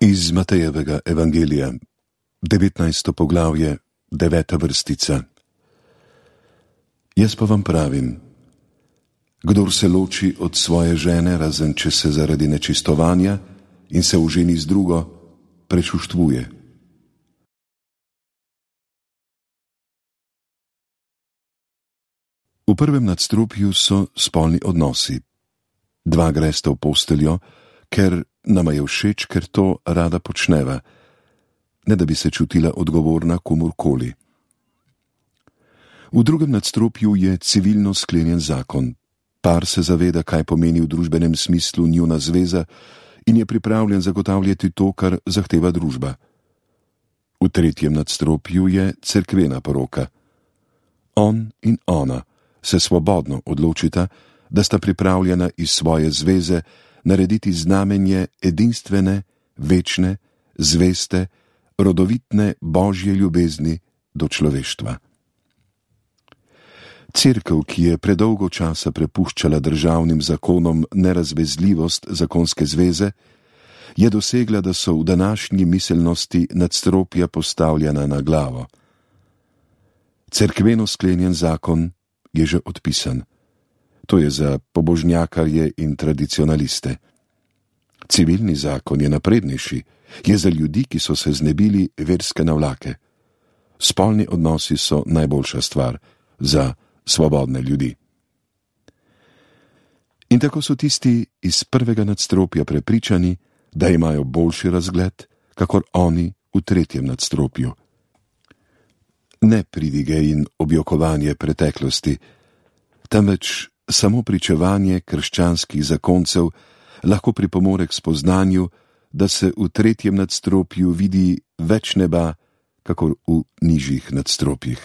Iz Matejevega evangelija, 19. poglavje, 9. vrstica. Jaz pa vam pravim, kdor se loči od svoje žene, razen če se zaradi nečistovanja in se oženi z drugo, prečuštvuje. V prvem nadstropju so spolni odnosi. Dva gresta v posteljo, ker nama je všeč, ker to rada počneva, ne da bi se čutila odgovorna komurkoli. V drugem nadstropju je civilno sklenjen zakon. Par se zaveda, kaj pomeni v družbenem smislu njuna zveza in je pripravljen zagotavljati to, kar zahteva družba. V tretjem nadstropju je cerkvena poroka. On in ona se svobodno odločita, da sta pripravljena iz svoje zveze narediti znamenje edinstvene, večne, zveste, rodovitne božje ljubezni do človeštva. Cerkev, ki je predolgo časa prepuščala državnim zakonom nerazvezljivost zakonske zveze, je dosegla, da so v današnji miselnosti nadstropja postavljena na glavo. Cerkveno sklenjen zakon je že odpisan. To je za pobožnjakarje in tradicionaliste. Civilni zakon je naprednejši, je za ljudi, ki so se znebili verske navlake. Spolni odnosi so najboljša stvar za svobodne ljudi. In tako so tisti iz prvega nadstropja prepričani, da imajo boljši razgled, kakor oni v tretjem nadstropju. Ne pridige in objokovanje preteklosti, temveč samo pričevanje krščanskih zakoncev lahko pripomore k spoznanju, da se v tretjem nadstropju vidi več neba, kakor v nižjih nadstropjih.